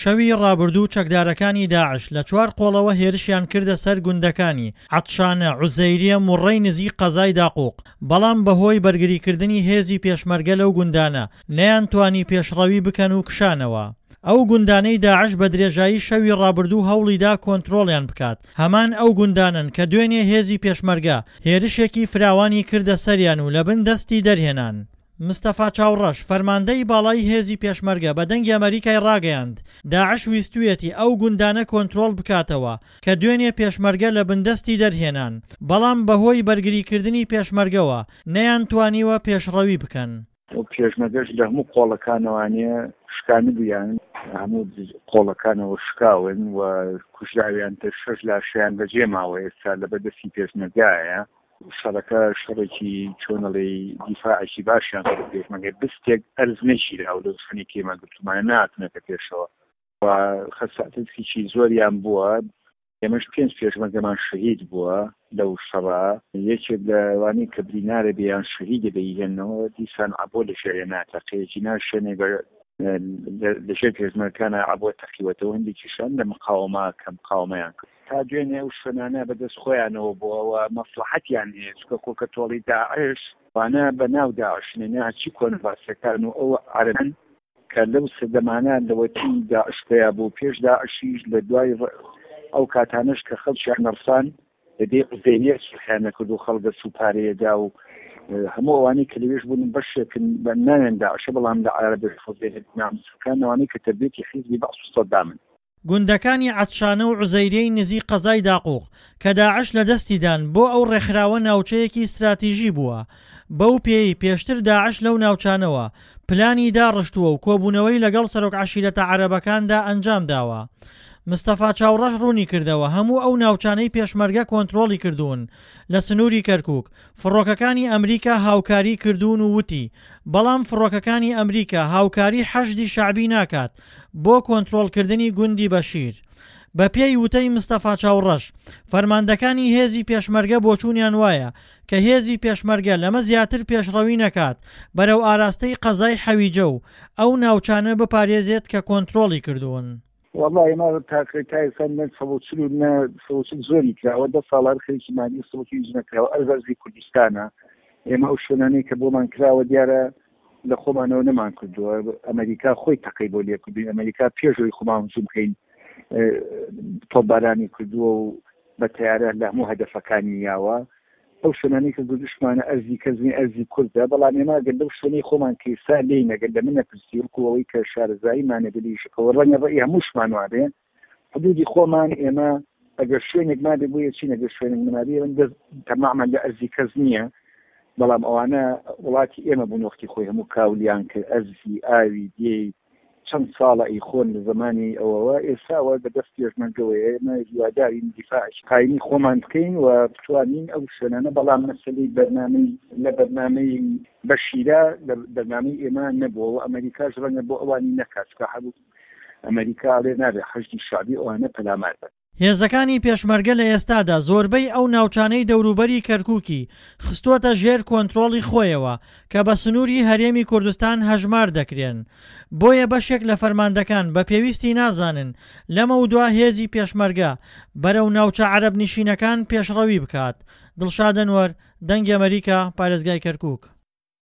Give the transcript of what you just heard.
شەوی ڕابردوو چەکدارەکانی داعش لە چوار قۆڵەوە هێرشیان کردە سەر گوندەکانی، عەتشانە، عوزەیریە، موڕەی نزیک قەزای داقوق، بەڵام بەهۆی بەرگریکردنی هێزی پێشمەرگە لەو گوندانە نەیانتوانی پێشڕەوی بکەن و کشانەوە. ئەو گوندانەی داعش بە درێژایی شەوی ڕابردوو هەوڵیدا کۆنترۆڵیان بکات، هەمان ئەو گوندانەن کە دوێنێ هێزی پێشمەرگە هێرشێکی فراوانی کردە سەریان و لەبن دەستی دەرهێنان. مستەفا چاوڕەش، فەرماندەی باڵای هێزی پێشمەرگە بە دەنگی ئەمەریکای ڕاگەیاند، داعش ویستویەتی ئەو گوندانە کۆنترۆڵ بکاتەوە کە دوێنێ پێشمەرگە لە بندەستی دەرهێنان، بەڵام بەهۆی بەرگریکردنی پێشمەرگەوە نەیانتوانیوە پێشڕەوی بکەن. پێشمەرگەش لە هەموو قۆڵەکانەوانێ شکانبوویان، هەموو قۆڵەکانەوە شکاون و کوژراویان تر شەش لاشەیان بەجێ ماوە ئێستا لەبەر دەستی پێشمەرگایە. شەڕەکە شەڕێکی چۆن ئەڵێی دیفاعێکی باشیان کرد پێشمەرگە بستێک ئەرز نەگیراوە لەو شوێنەی کە ئێمە گرتوومانە نەهاتوونەتە پێشەوە و خەسارەتێکی زۆریان بووە ئێمەش پێنج پێشمەرگەمان شەهید بووە لەو شەڕە یەکێک لەوانەی کە برینارە بێ یان شەهیدە بێ ئیهێننەوە دیسان عەبۆ لە ژێرێ ناتەقێ جینا شوێنێک بە لە ژێر پێشمەرگەکانە عەبۆ تەقیوەتەوە هەندێکیشان لە مقاومە کە مقاومەیان کرد تا دوێنێ ئەو شوێنانە بە دەست خۆیانەوە بووە و مەسڵەحەتیان هەیە چونکە کۆکە تۆڵی داعش وانە بە ناو داعش نێ هەرچی کۆنە باسەکان و ئەو عەرەبن کە لەو سەردەمانە لەوەتی داعش پەیا بوو پێش داعشیش لە دوای ئەو کاتانەش کە خەڵکیان نەڕسان لە دێی عوزێریە سوڵحیان نەکرد و خەڵک دەچوو پارەیەدا و هەموو ئەوانەی کە لەوێش بوون بەشێکن بە ناوێن داعشە بەڵام لە عەرەبی عوزێریە ناموسەکان ئەوانەی کە تەربیەتی حیزبی بەعس و سەدامن. گوندەکانی عەتشانە و عوزەیریەی نزیک قەزای داقوق کە داعش لە دەستی دان بۆ ئەو ڕێکخراوە ناوچەیەکی ستراتیژی بووە، بەو پێیەی پێشتر داعش لەو ناوچانەوە پلانی داڕشتووە و کۆبوونەوەی لەگەڵ سەرۆک عەشیرەتە عەرەبەکاندا ئەنجام داوە. مستەفا چاوڕەش ڕوونیکردەوە هەموو ئەو ناوچانەی پێشمەرگە کۆنترۆڵی کردوون لە سنووری کەرکوک، فڕۆکەکانی ئەمریکا هاوکاری کردوون و وتی، بەڵام فڕۆکەکانی ئەمریکا هاوکاری حەشدی شەعبی ناکات بۆ کۆنترۆڵکردنی گوندی بەشیر. بەپێی وتەی مستەفا چاوڕەش، فەرماندەکانی هێزی پێشمەرگە بۆچوونیان وایە کە هێزی پێشمەرگە لەمە زیاتر پێشڕەوی نەکات بەرەو ئاراستەی قەزای حەویجە و ئەو ناوچانە بپارێزێت کە کۆنترۆڵی کردوون. وەڵا ئێمە تاکە تا ئێستا نە 140 و نە 140 زۆری کراوە دە ساڵ هەر خەریکی مانی 140 هیچ نەکراوە ئەرز ئەرزی کوردستانە ئێمە ئەو شوێنانەی کە بۆمان کراوە دیارە لە خۆمانەوە نەمان کردووە ئەمریکا خۆی تەقەی بۆ لێکردوین ئەمریکا پێشەوەی خۆمان هجوم بکەین تۆپبارانی کردووە و بە تەیارە لە هەموو هەدەفەکانی یاوە ئەو شوێنانەی کە گوردشمانە ئەرزی کەس نیە ئەرزی کوردە بەڵام ئێمە گەر لەو شوێنەی خۆمان کە ئێستا لێین ئەگەر لە من نەپرسی وەکو ئەوەی کە شارەزاییمان هەبێ لە ئیشەکەوە ڕەنگە ڕەئی هەمووشمان وابێ حدودی خۆمان ئێمە ئەگەر شوێنێک مابێ بۆ یەچین ئەگەر شوێنێک نەمابێ ئێمە دەست تەماعمان لە ئەرزی کەس نییە بەڵام ئەوانە وڵاتی ئێمە بوون وەختی خۆی هەموو کاولیان کرد ئەرزی ئاوی دێی چەند ساڵە ئەیخۆن لە زەمانی ئەوەوە ئێستا ئەوە بە دەست پێشمەرگەوەیە ئێمە هیوادارین دیفاعێکی قایمی خۆمان بکەین و بتوانین ئەو شوێنانە بەڵام مەسەلەی بەرنامەی لە بەرنامەی بەشیرە لە بەرنامەی ئێمە نەبووە و ئەمەریکاش ڕەنگە بۆ ئەوانی نەکات چونکە هەبوو ئەمەریکا ئەڵێ نابێ حەشدی شەعبی ئەوانە پەلامار بەن. هێزەکانی پێشمەرگە لە ئێستادا زۆربەی ئەو ناوچانەی دەوروبەری کەرکوکی خستووەتە ژێر کۆنترۆڵی خۆیەوە کە بە سنووری هەرێمی کوردستان هەژمار دەکرێن، بۆیە بەشێک لە فەرماندەکان بە پێویستی نازانن لەمەودوا هێزی پێشمەرگە بەرەو ناوچە عەرەبنشینەکان پێشڕەوی بکات. دڵشاد ئەنوەر، دەنگی ئەمەریکا، پارێزگای کەرکوک.